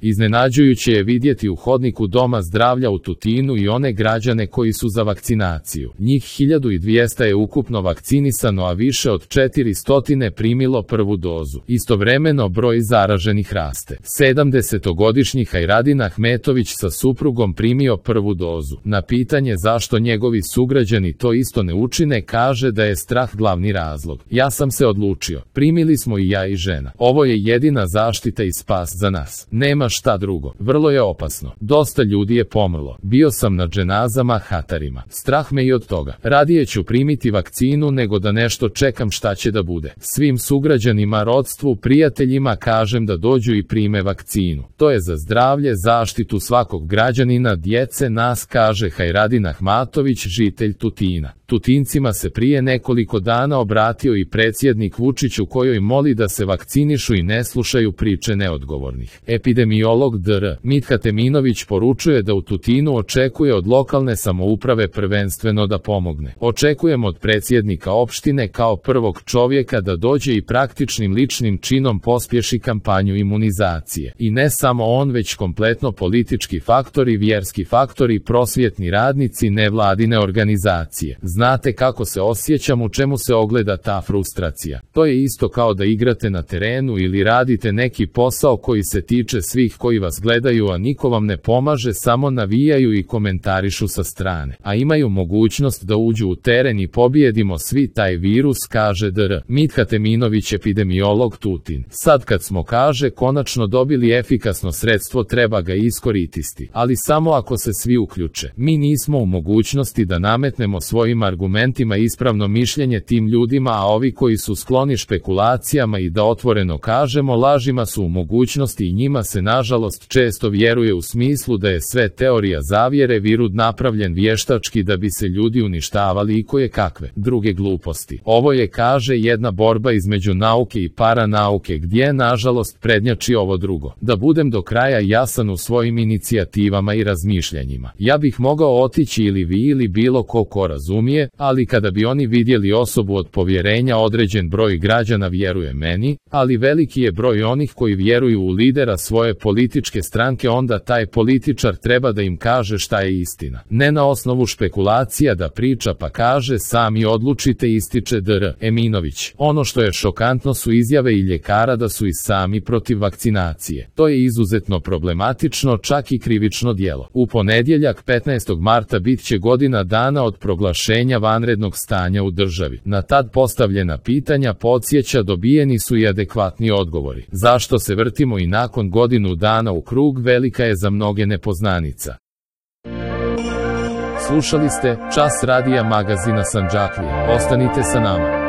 Iznenađujuće je vidjeti u hodniku Doma zdravlja u Tutinu i one građane koji su za vakcinaciju. Njih 1200 je ukupno vakcinisano, a više od 400 primilo prvu dozu. Istovremeno broj zaraženih raste. 70-godišnji Hajradin Ahmetović sa suprugom primio prvu dozu. Na pitanje zašto njegovi sugrađani to isto ne učine, kaže da je strah glavni razlog. Ja sam se odlučio. Primili smo i ja i žena. Ovo je jedina zaštita i spas za nas. Nema šta drugo. Vrlo je opasno. Dosta ljudi je pomrlo. Bio sam na dženazama, hatarima. Strah me i od toga. Radije ću primiti vakcinu nego da nešto čekam šta će da bude. Svim sugrađanima, rodstvu, prijateljima kažem da dođu i prime vakcinu. To je za zdravlje, zaštitu svakog građanina, djece, nas, kaže Hajradin Ahmatović, žitelj Tutina. Tutincima se prije nekoliko dana obratio i predsjednik Vučić, u kojoj moli da se vakcinišu i ne slušaju priče neodgovornih. Epidemiolog dr. Mitha Teminović poručuje da u Tutinu očekuje od lokalne samouprave prvenstveno da pomogne. Očekujem od predsjednika opštine kao prvog čovjeka da dođe i praktičnim ličnim činom pospješi kampanju imunizacije. I ne samo on, već kompletno politički faktori, vjerski faktori, prosvjetni radnici, nevladine organizacije. Znate kako se osjećam, u čemu se ogleda ta frustracija. To je isto kao da igrate na terenu ili radite neki posao koji se tiče svih koji vas gledaju, a niko vam ne pomaže, samo navijaju i komentarišu sa strane. A imaju mogućnost da uđu u teren i pobijedimo svi taj virus, kaže dr. Mitha Teminović, epidemiolog Tutin. Sad kad smo, kaže, konačno dobili efikasno sredstvo, treba ga iskoristiti. Ali samo ako se svi uključe. Mi nismo u mogućnosti da nametnemo svojim argumentima ispravno mišljenje tim ljudima, a ovi koji su skloni špekulacijama i da otvoreno kažemo lažima su u mogućnosti, i njima se nažalost često vjeruje u smislu da je sve teorija zavjere, virus napravljen vještački da bi se ljudi uništavali i koje kakve druge gluposti. Ovo je, kaže, jedna borba između nauke i paranauke, gdje nažalost prednjači ovo drugo. Da budem do kraja jasan u svojim inicijativama i razmišljanjima. Ja bih mogao otići ili vi ili bilo ko razumije, ali kada bi oni vidjeli osobu od povjerenja, određen broj građana vjeruje meni, ali veliki je broj onih koji vjeruju u lidera svoje političke stranke, onda taj političar treba da im kaže šta je istina. Ne na osnovu špekulacija da priča pa kaže sami odlučite, ističe dr. Eminović. Ono što je šokantno su izjave i ljekara da su i sami protiv vakcinacije. To je izuzetno problematično, čak i krivično djelo. U ponedjeljak 15. marta bit će godina dana od proglašenja vanrednog stanja u državi. Na tad postavljena pitanja, podsjeća, dobijeni su i adekvatni odgovori. Zašto se vrtimo i nakon godinu dana u krug, velika je za mnoge nepoznanica. Slušali ste Čas radija magazina Sandžaklija. Ostanite sa nama.